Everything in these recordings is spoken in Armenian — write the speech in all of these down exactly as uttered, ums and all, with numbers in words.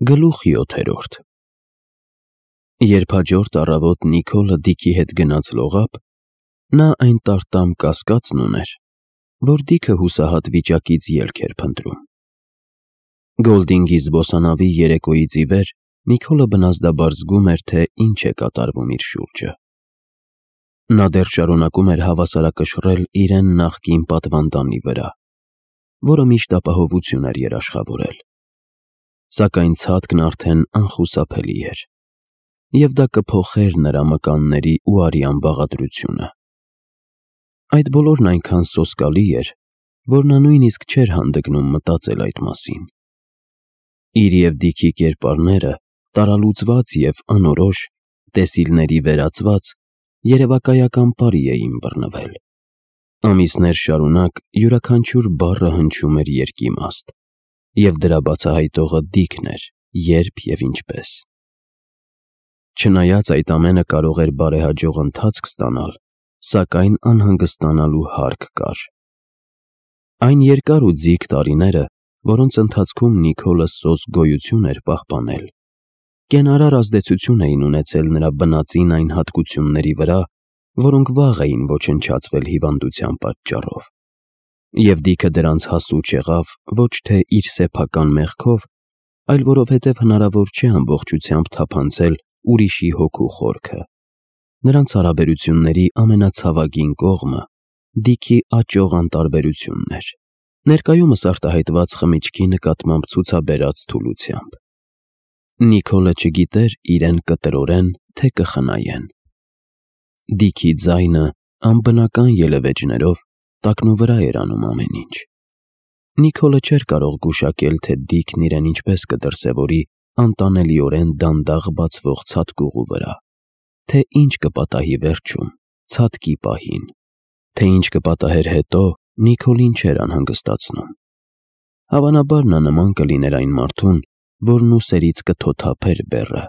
Գլուխ յոթերորդ Երբ հաջորդ առավոտ Նիկոլը Դիքի հետ գնաց լողափ, նա այն տարտամ կասկածն ուներ, որ Դիքը հուսահատ վիճակից ելք էր փնտրում։ Գոլդինգի զբոսանավի երեկոյից ի վեր Նիկոլը բնազդաբար զգում էր, թե ինչ է կատարվում իր շուրջը։ Նա դեռ շարունակում էր հավասարակշռել իրեն նախկին պատվանդանի վրա, որը միշտ ապահովություն էր երաշխավորել։ Սակայն ցատկն արդեն անխուսափելի էր, և դա կփոխեր նրա մկանների ու արյան բաղադրությունը։ Այդ բոլորն այնքան սոսկալի էր, որ նա նույնիսկ չէր հանդգնում մտածել այդ մասին։ Իր և Դիքի կերպարները տարալուծված և անորոշ, տեսիլների վերածված, երևակայական պարի էին բռնվել։ Ամիսներ շարունակ յուրաքանչյուր բառը հնչում էր երկիմաստ, և դրա բացահայտողը Դիքն էր, երբ և ինչպես։ Չնայած այդ ամենը կարող էր բարեհաջող ընթացք ստանալ, սակայն անհանգստանալու հարկ կար։ Այն երկար ու ձիգ տարիները, որոնց ընթացքում Նիկոլը սոսկ գոյություն էր պահպանել, կենարար ազդեցություն էին ունեցել նրա բնածին այն հատկությունների վրա, որոնք վաղ էին ոչնչացվել հիվանդության պատճառով, և Դիքը դրանց հասու չեղավ ոչ թե իր սեփական մեղքով, այլ որովհետև հնարավոր չէ ամբողջությամբ թափանցել ուրիշի հոգու խորքը։ Նրանց հարաբերությունների ամենացավագին կողմը Դիքի աճող անտարբերությունն էր, ներկայումս արտահայտված խմիչքի նկատմամբ ցուցաբերած թուլությամբ։ Նիկոլը չգիտեր իրեն կտրորեն, թե կխնայեն։ Դիքի ձայնը անբնական ելևէջներով տակնուվրա էր անում ամեն ինչ։ Նիկոլը չէր կարող գուշակել, թե Դիքն իրեն ինչպես կդրսևորի անտանելիորեն դանդաղ բացվող ցատկուղու վրա, թե ինչ կպատահի վերջում, ցատկի պահին, թե ինչ կպատահեր հետո, Նիկոլին չէր անհանգստացնում։ Հավանաբար նա նման կլիներ այն մարդուն, որն ուսերից կթոթափեր բեռը,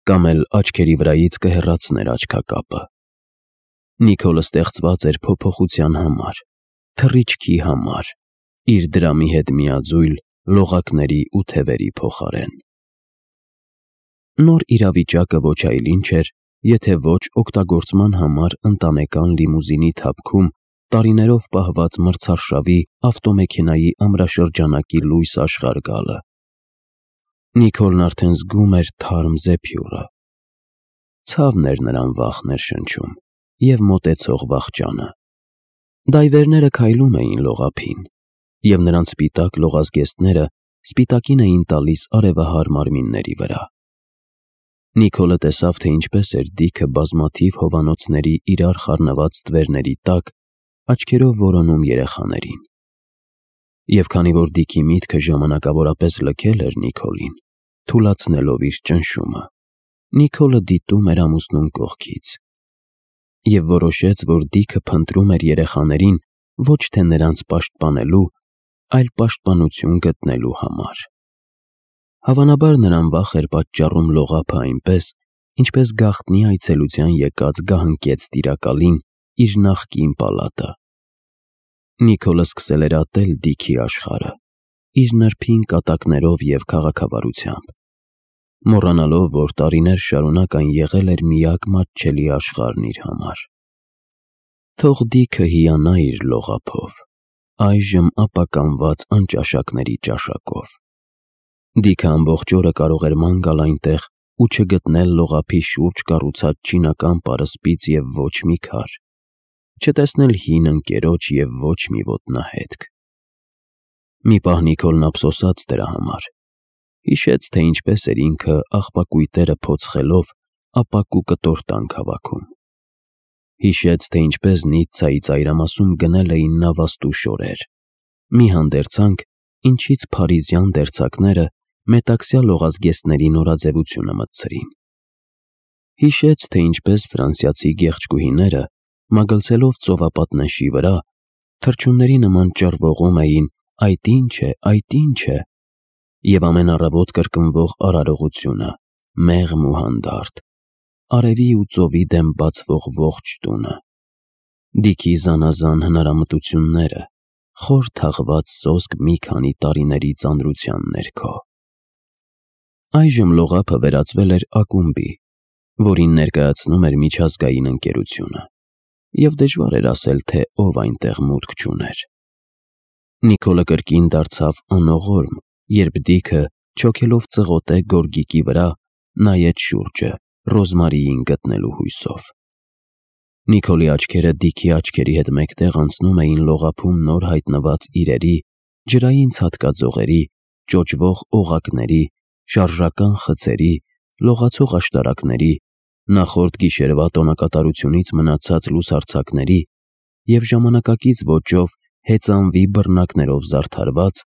կամ էլ աչքերի վրայից կհեռացներ աչքակապը։ Նիկոլը ստեղծված էր փոփոխության համար, թռիչքի համար, իր դրամի հետ միաձույլ լողակների ու թևերի փոխարեն։ Նոր իրավիճակը ոչ այլ ինչ էր, եթե ոչ օգտագործման համար ընտանեկան լիմուզինի թափքում տարիներով պահված մրցարշավի ավտոմեքենայի ամրաշրջանակի լույս աշխարհ գալը։ Նիկոլն արդեն զգում էր թարմ զեփյուռը։ Ցավն էր նրան վախ ներշնչում և մոտեցող վախճանը։ Դայվերները քայլում էին լողափին, և նրանց սպիտակ լողազգեստները սպիտակին էին տալիս արևահար մարմինների վրա։ Նիկոլը տեսավ, թե ինչպես էր Դիքը բազմաթիվ հովանոցների իրար խառնված ստվերների տակ աչքերով որոնում երեխաներին։ Եվ քանի որ Դիքի միտքը ժամանակավորապես լքել էր Նիկոլին, թուլացնելով իր ճնշումը, Նիկոլը դիտում էր ամուսնուն կողքից և որոշեց, որ Դիքը փնտրում էր երեխաներին ոչ թե նրանց պաշտպանելու, այլ պաշտպանություն գտնելու համար։ Հավանաբար նրան վախ էր պատճառում լողափը այնպես, ինչպես գաղտնի այցելության եկած գահընկեց տիրակալին իր նախկին պալատը։ Նիկոլը սկսել էր ատել Դիքի աշխարհը, իր նրբին կատակներով և քաղաքավարությամբ, մոռանալով, որ տարիներ շարունակ այն եղել էր միակ մատչելի աշխարհն իր համար։ Թող Դիքը հիանա իր լողափով, այժմ ապականված անճաշակների ճաշակով։ Դիքը ամբողջ օրը կարող էր ման գալ այնտեղ ու չգտնել լողափի շուրջ կառուցած չինական պարսպից և ոչ մի քար, չտեսնել հին ընկերոջ և ոչ մի ոտնահետք։ Մի պահ Նիկոլն ափսոսաց դրա համար, հիշեց, թե ինչպես էր ինքը աղբակույտերը փոցխելով ապակու կտոր հավաքում։ Հիշեց, թե ինչպես Նիցցայի ծայրամասում գնել էին նավաստու շորեր, մի հանդերձանք, ինչից փարիզյան դերձակները մետաքսյա լողազգեստների նորաձևությունը մտցրին։ Հիշեց, թե ինչպես ֆրանսիացի գեղեցկուհիները, մագլցելով ծովապատնեշի վրա, թռչունների նման ճռվողում էին «Այդ ի՞նչ է, այդ ի՞նչ է» և ամեն առավոտ կրկնվող արարողությունը՝ մեղմ ու հանդարտ, արևի ու ծովի դեմ բացվող ողջ տունը, Դիքի զանազան հնարամտությունները, խոր թաղված սոսկ մի քանի տարիների ծանրության ներքո։ Այժմ լողափը վերածվել էր ակումբի, որին ներկայացնում էր միջազգային ընկերությունը, և դժվար էր ասել, թե ով այնտեղ մուտք չուներ։ Նիկոլը կրկին դարձավ անողորմ, երբ Դիքը, չոքելով ծղոտե գորգիկի վրա, նայեց շուրջը, Ռոզմարիին գտնելու հույսով։ Նիկոլի աչքերը Դիքի աչքերի հետ մեկտեղ անցնում էին լողափում նոր հայտնված իրերի, ջրային ցատկաձողերի, ճոճվող օղակների, շարժական խցերի, լողացող աշտարակների, նախորդ գիշերվա տոնակատարությունից մնացած լուսարձակների և ժամանակակից ոճով հեծանվի բռնակներով զարդարված,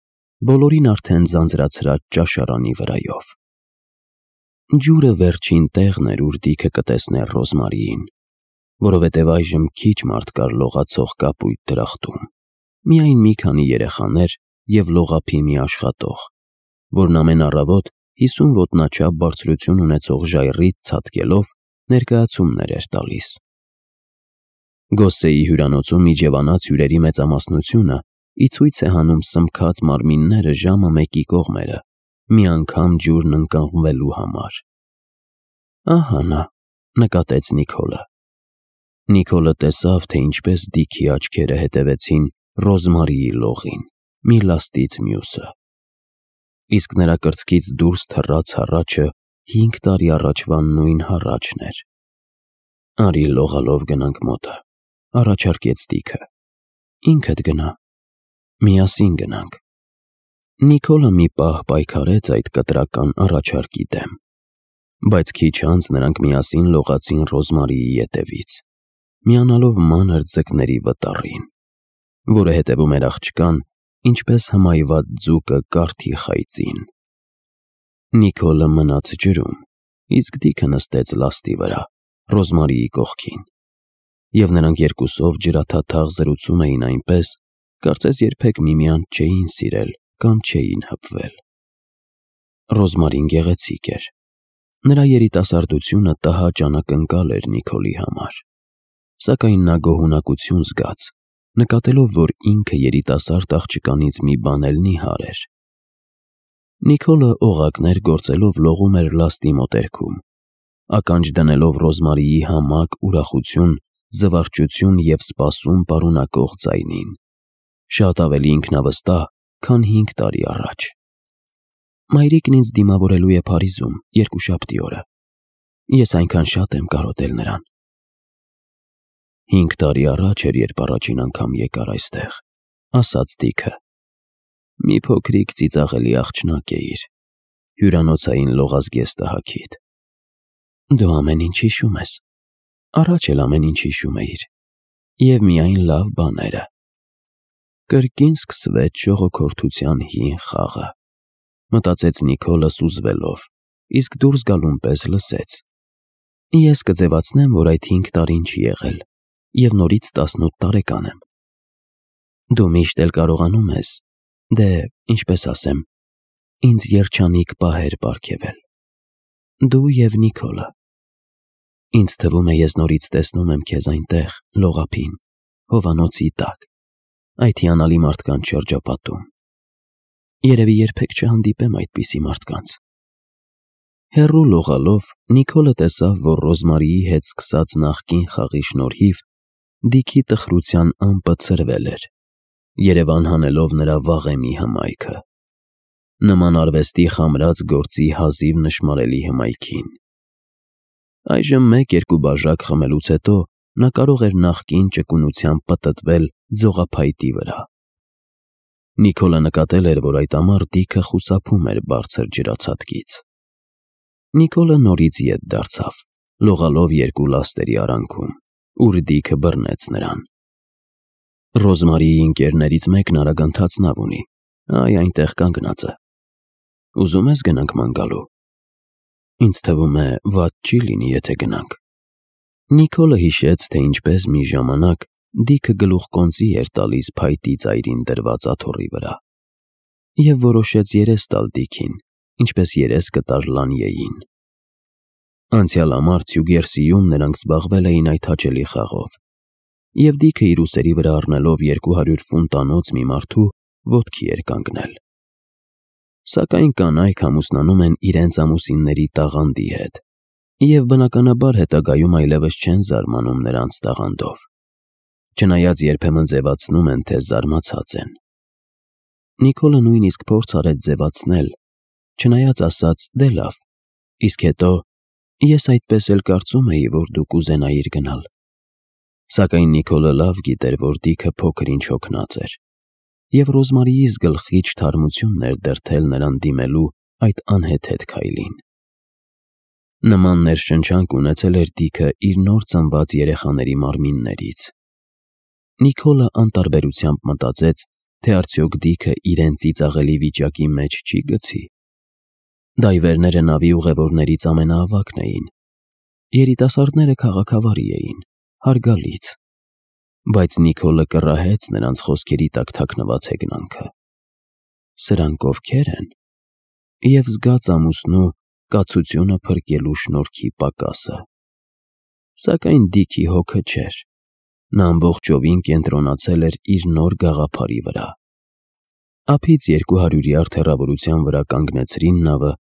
բոլորին արդեն ձանձրացրած ճաշարանի վրայով։ Ջուրը վերջին տեղն էր, ուր Դիքը կտեսներ Ռոզմարիին, որովհետև այժմ քիչ մարդ կար լողացող կապույտ դրախտում, միայն մի քանի երեխաներ և լողափի մի աշխատող, որն ամեն առավոտ հիսուն ոտնաչափ բարձրություն ունեցող ժայռից ցատկելով ներկայացումներ էր տալիս։ Գոսսեի հյուրանոցում իջևանած հյուրերի մեծամասնությունը ի ցույց է հանում սմբքած մարմինները ժամը մեկի կողմերը, մի անգամ ջուրն ընկղմվելու համար։ Ահա նա, նկատեց Նիկոլը։ Նիկոլը տեսավ, թե ինչպես Դիքի աչքերը հետևեցին Ռոզմարիի լողին, մի լաստից մյուսը, իսկ նրա կրծքից դուրս թռած հառաչը հինգ տարի առաջվա նույն հառաչն էր։ Արի լողալով գնանք մոտը, առաջարկեց Դիքը։ Ինքդ գնա, միասին գնանք։ Նիկոլը մի պահ պայքարեց այդ կտրական առաջարկի դեմ, բայց քիչ անց նրանք միասին լողացին Ռոզմարիի ետևից, միանալով մանր ձկների վտառին, որը հետևում էր աղջկան, ինչպես հմայված ձուկը կարթի խայծին։ Նիկոլը մնաց ջրում, իսկ Դիքը նստեց լաստի վրա, Ռոզմարիի կողքին, և նրանք երկուսով ջրաթաթախ զրուցում էին այնպես, կարծես երբեք միմյանց չէին սիրել կամ չէին հպվել։ Ռոզմարին գեղեցիկ էր։ Նրա երիտասարդությունը տհաճ անակնկալ էր Նիկոլի համար, սակայն նա գոհունակություն զգաց, նկատելով, որ ինքը երիտասարդ աղջկանից մի բան էլ նիհար էր։ Նիկոլը օղակներ գործելով լողում էր լաստի մոտերքում, ականջ դնելով Ռոզմարիի համակ ուրախություն, զվարճություն և սպասում պարունակող ձայնին, շատ ավելի ինքնավստահ, քան հինգ տարի առաջ։ Մայրիկն ինձ դիմավորելու է Փարիզում երկուշաբթի օրը։ Ես այնքան շատ եմ կարոտել նրան։ Հինգ տարի առաջ էր, երբ առաջին անգամ եկար այստեղ, ասաց Դիքը։ Մի փոքրիկ ծիծաղելի աղջնակ էիր, հյուրանոցային լողազգեստը հագիդ։ Դու ամեն ինչ հիշում ես, առաջ էլ ամեն ինչ հիշում էիր, և միայն լավ բաները։ Կրկին սկսվեց ժողոքորթության հին խաղը, մտածեց Նիկոլը սուզվելով, իսկ դուրս գալուն պես լսեց. Ես կձևացնեմ, որ այդ հինգ տարին չի եղել, և նորից տասնութ տարեկան եմ։ Դու միշտ էլ կարողանում ես, դե, ինչպես ասեմ, ինձ երջանիկ պահեր պարգևել։ Դու և Նիկոլը։ Ինձ թվում է, ես նորից տեսնում եմ քեզ այնտեղ, լողափին, հովանոցի տակ, այդ հիանալի մարդկանց շրջապատում։ Երևի երբեք չհանդիպեմ այդպիսի մարդկանց։ Հեռու լողալով Նիկոլը տեսավ, որ Ռոզմարիի հետ սկսած նախկին խաղի շնորհիվ Դիքի տխրության ամպը ցրվել էր, երևան հանելով նրա վաղեմի հմայքը, նման արվեստի խամրած գործի հազիվ նշմարելի հմայքին։ Այժմ մեկ-երկու բաժակ խմելուց հետո նա կարող էր նախկին ճկունությամբ պտտվել ձողափայտի վրա։ Նիկոլը նկատել էր, որ այդ ամառ Դիքը խուսափում էր բարձր ջրացատկից։ Նիկոլը նորից ետ դարձավ, լողալով երկու լաստերի արանքում, ուր Դիքը բռնեց նրան։ Ռոզմարիի ընկերներից մեկն արագանթաց նավ ունի, այ այնտեղ կանգնած է։ Ուզում ես գնանք ման գալու։ Ինձ թվում է, վատ չի լինի, եթե գնանք։ Նիկոլը հիշեց, թե ինչպես մի ժամանակ Դիքը գլուխկոնծի էր տալիս փայտի ծայրին դրված աթոռի վրա, և որոշեց երես տալ Դիքին, ինչպես երես կտար Լանիեին։ Անցյալ ամառ Ցյուգերսիում նրանք զբաղվել էին այդ հաճելի խաղով, և Դիքը իր ուսերի վրա առնելով երկու հարյուր ֆունտանոց մի մարդու ոտքի էր կանգնել։ Սակայն կանայք ամուսնանում են իրենց ամուսինների տաղանդի հետ, և բնականաբար հետագայում այլևս չեն զարմանում նրանց տաղանդով, չնայած երբեմն ձևացնում են, թե զարմացած են։ Նիկոլը նույնիսկ փորձ արեց ձևացնել, չնայած ասաց՝ դե լավ, իսկ հետո ես այդպես էլ կարծում էի, որ դու կուզենայիր գնալ։ Սակայն Նիկոլը լավ գիտեր, որ Դիքը փոքր-ինչ հոգնած էր, և Ռոզմարիից գլխիչ թարմությունն էր դրդել նրան դիմելու այդ անհեթեթ քայլին։ Նման ներշնչանք ունեցել էր Դիքը իր նոր ծնված երեխաների մարմիններից։ Նիկոլը անտարբերությամբ մտածեց, թե արդյոք Դիքը իրեն ծիծաղելի վիճակի մեջ չի գցի։ Դայվերները նավի ուղևորներից ամենաավագն էին։ Երիտասարդները քաղաքավարի էին, հարգալից, բայց Նիկոլը կռահեց նրանց խոսքերի տակ թաքնված հեգնանքը։ Սրանք ովքե՞ր են, և զգաց ամուսնու կացությունը փրկելու շնորհքի պակասը։ Սակայն Դիքի հոգը չէր, նա ամբողջովին կենտրոնացել էր իր նոր գաղափարի վրա։ Ափից երկու հարյուր յարդ հեռավորության վրա կանգնեցրին նավը,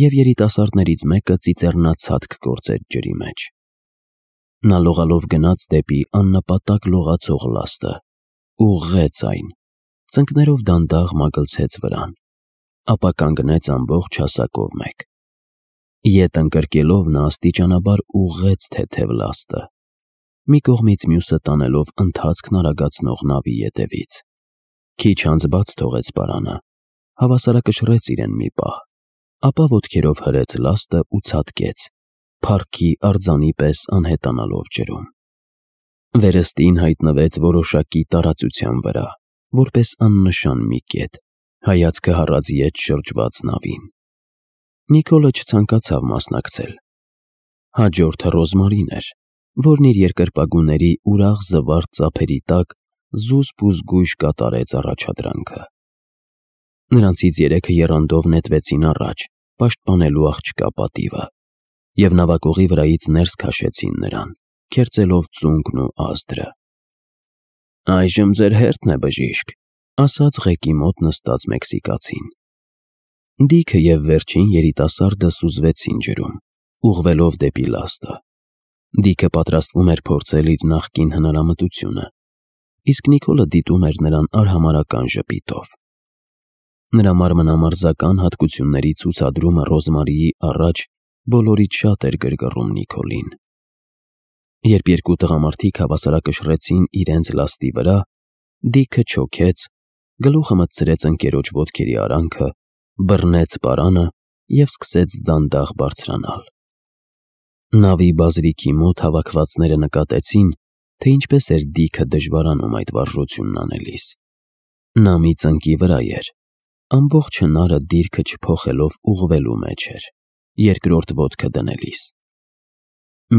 և երիտասարդներից մեկը ծիծեռնացատկ գործեց ջրի մեջ։ Նա լողալով գնաց դեպի աննպատակ լողացող լաստը, ուղղեց այն, ծնկներով դանդաղ մագլցեց վրան, ապա կանգնեց ամբողջ հասակով մեկ։ Ետ ընկրկելով նա աստիճանաբար ուղղեց թեթև լաստը, մի կողմից մյուսը տանելով ընթացքն արագացնող նավի ետևից։ Քիչ անց բաց թողեց պարանը, հավասարակշռեց իրեն մի պահ, ապա ոտքերով հրեց լաստը ու ցատկեց, փառքի արձանի պես անհետանալով ջրում։ Վերստին հայտնվեց որոշակի տարածության վրա, որպես աննշան մի կետ, հայացքը հառած ետ շրջված նավին։ Նիկոլը չցանկացավ մասնակցել։ Հաջորդը Ռոզմարին էր, որն իր երկրպագուների ուրախ զվարթ ծափերի տակ զուսպ ու զգույշ կատարեց առաջադրանքը։ Նրանցից երեքը եռանդով նետվեցին առաջ, պաշտպանելու աղջկա պատիվը, և նավակողի վրայից ներս քաշեցին նրան, քերծելով ծունկն ու ազդրը։ «Այժմ ձեր հերթն է, բժիշկ», ասաց ղեկի մոտ նստած մեքսիկացին։ Դիքը և վերջին երիտասարդը սուզվեցին ջրում, ուղղվելով դեպի լաստը։ Դիքը պատրաստվում էր փորձել իր նախկին հնարամտությունը, իսկ Նիկոլը դիտում էր նրան արհամարհական ժպիտով։ Նրա մարմնամարզական հատկությունների ցուցադրումը Ռոզմարիի առաջ բոլորից շատ էր գրգռում Նիկոլին։ Երբ երկու տղամարդիկ հավասարակշռեցին իրենց լաստի վրա, Դիքը չոքեց, գլուխը մտցրեց ընկերոջ ոտքերի արանքը, բռնեց պարանը և սկսեց դանդաղ բարձրանալ։ Նավի բազրիքի մոտ հավաքվածները նկատեցին, թե ինչպես էր Դիքը դժվարանում այդ վարժությունն անելիս։ Նա մի ծնկի վրա էր, ամբողջ հնարը դիրքը չփոխելով ուղղվելու մեջ էր, երկրորդ ոտքը դնելիս։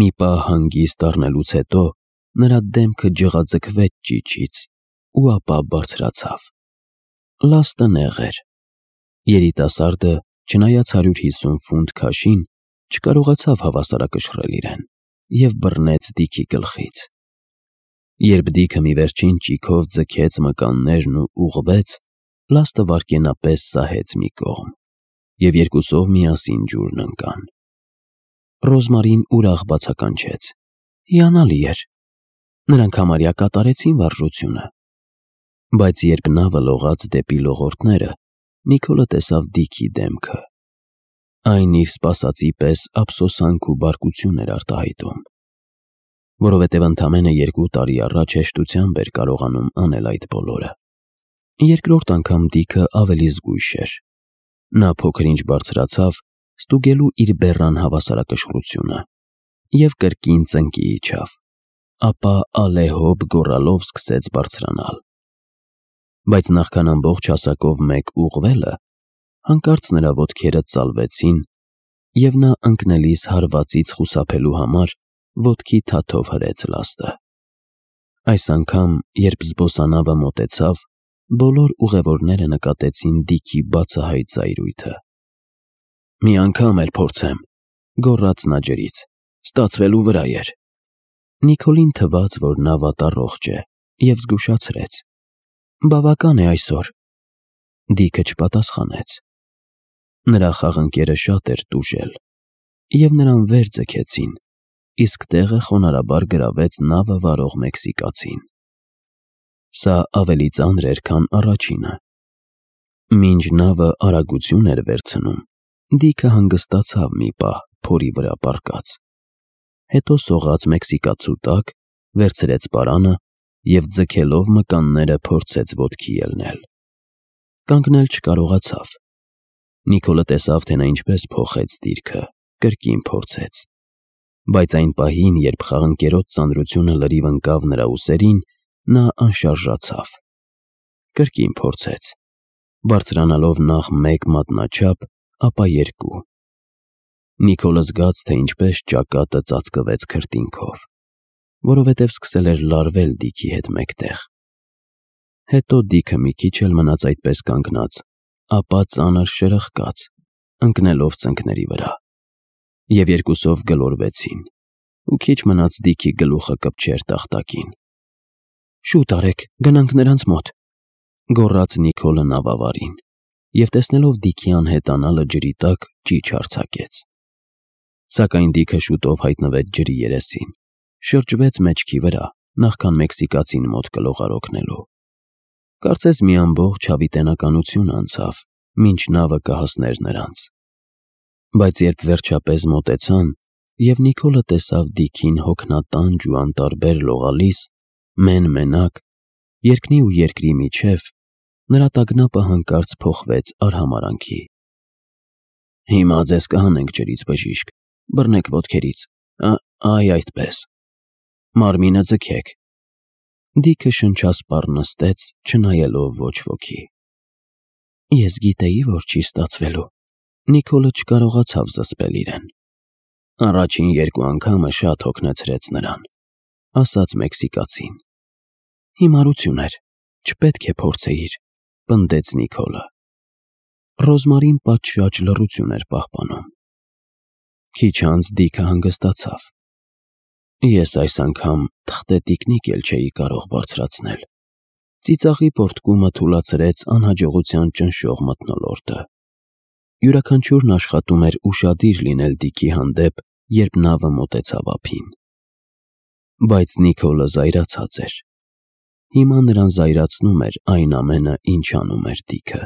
Մի պահ հանգիստ առնելուց հետո նրա դեմքը ջղաձգվեց ճիչից ու ապա բարձրացավ։ Լաստը նեղ էր։ Երիտասարդը, չնայած հարյուր հիսուն ֆունտ քաշին, չկարողացավ հավասարակշռել իրեն և բռնեց Դիքի գլխից։ Երբ Դիքը մի վերջին ճիգով ձգեց մկաններն ու ուղղվեց, լաստը վայրկենապես սահեց մի կողմ, և երկուսով միասին ջուրն ընկան։ Ռոզմարին ուրախ բացականչեց. հիանալի էր։ Նրանք համարյա կատարեցին վարժությունը։ Բայց երբ նավը լողաց դեպի լողորդները, Նիկոլը տեսավ Դիքի դեմքը։ Այն իր սպասածի պես ափսոսանք ու բարկություն էր արտահայտում, որովհետև ընդամենը երկու տարի առաջ հեշտությամբ էր կարողանում անել այդ բոլորը։ Երկրորդ անգամ Դիքը ավելի զգույշ էր։ Նա փոքր-ինչ բարձրացավ, ստուգելու իր բեռան հավասարակշռությունը, և կրկին ծնկի իջավ, ապա ալեհոբ գոռալով սկսեց բարձրանալ։ Բայց նախքան ամբողջ հասակով մեկ ուղղվելը, հանկարծ նրա ոտքերը ծալվեցին, և նա ընկնելիս հարվածից խուսափելու համար ոտքի թաթով հրեց լաստը։ Այս անգամ, երբ զբոսանավը մոտեցավ, բոլոր ուղևորները նկատեցին Դիքի բացահայտ զայրույթը։ «Մի անգամ էլ փորձեմ», գոռաց նա ջրից, «ստացվելու վրա էր»։ Նիկոլին թվաց, որ նա վատառողջ է, և զգուշացրեց. «Բավական է այսօր»։ Դիքը չպատասխանեց։ Նրա խաղընկերը շատ էր տուժել, և նրան վեր ձգեցին, իսկ տեղը խոնարհաբար գրավեց նավը վարող մեքսիկացին։ Սա ավելի ծանր էր, քան առաջինը։ Մինչ նավը արագություն էր վերցնում, Դիքը հանգստացավ մի պահ փորի վրա պառկած։ Հետո սողաց մեքսիկացու տակ, վերցրեց պարանը և ձգելով մկանները փորձեց ոտքի ելնել։ Կանգնել չկարողացավ։ Նիկոլը տեսավ, թե նա ինչպես փոխեց դիրքը, կրկին փորձեց։ Բայց այն պահին, երբ խաղընկերոջ ծանրությունը լրիվ ընկավ նրա ուսերին, նա անշարժացավ։ Կրկին փորձեց, բարձրանալով նախ մեկ մատնաչափ, ապա երկու։ Նիկոլը զգաց, թե ինչպես ճակատը ծածկվեց քրտինքով, որովհետև սկսել էր լարվել Դիքի հետ մեկտեղ։ Հետո Դիքը մի քիչ էլ մնաց այդպես կանգնած, ապա ծանր շրխկաց, ընկնելով ծնկների վրա, և երկուսով գլորվեցին, ու քիչ մնաց Դիքի գլուխը կպչեր տախտակին։ «Շուտ արեք, գնանք նրանց մոտ», ֊ գոռաց Նիկոլը նավավարին, և տեսնելով Դիքի անհետանալը ջրի տակ, ճիչ արձակեց։ Սակայն Դիքը շուտով հայտնվեց ջրի երեսին, շրջվեց մեջքի վրա, նախքան մեքսիկացին մոտ գլուխ օգնելու։ Կարծես մի ամբողջ հավիտենականություն անցավ, մինչ նավը կհասներ նրանց։ Բայց երբ վերջապես մոտեցան, և Նիկոլը տեսավ Դիքին հոգնատանջ ու անտարբեր լողալիս, մեն֊մենակ, երկնի ու երկրի միջև, նրա տագնապը հանկարծ փոխվեց արհամարհանքի։ «Հիմա ձեզ կհանենք ջրից, բժիշկ, բռնեք ոտքերից, այ այդպես, մարմինը ձգեք»։ Դիքը շնչասպառ նստեց, չնայելով ոչ ոքի։ «Ես գիտեի, որ չի ստացվելու», ֊ Նիկոլը չկարողացավ զսպել իրեն։ «Առաջին երկու անգամը շատ հոգնեցրեց նրան», ֊ ասաց մեքսիկացին։ «Հիմարություն էր, չպետք է փորձեիր», ֊ պնդեց Նիկոլը։ Ռոզմարին պատշաճ լռություն էր պահպանում։ Քիչ անց Դիքը հանգստացավ։ «Ես այս անգամ թղթե տիկնիկ էլ չէի կարող բարձրացնել»։ Ծիծաղի պոռթկումը թուլացրեց անհաջողության ճնշող մթնոլորտը։ Յուրաքանչյուրն աշխատում էր ուշադիր լինել Դիքի հանդեպ, երբ նավը մոտեցավ ափին։ Բայց Նիկոլը զայրացած էր։ Հիմա նրան զայրացնում էր այն ամենը, ինչ անում էր Դիքը։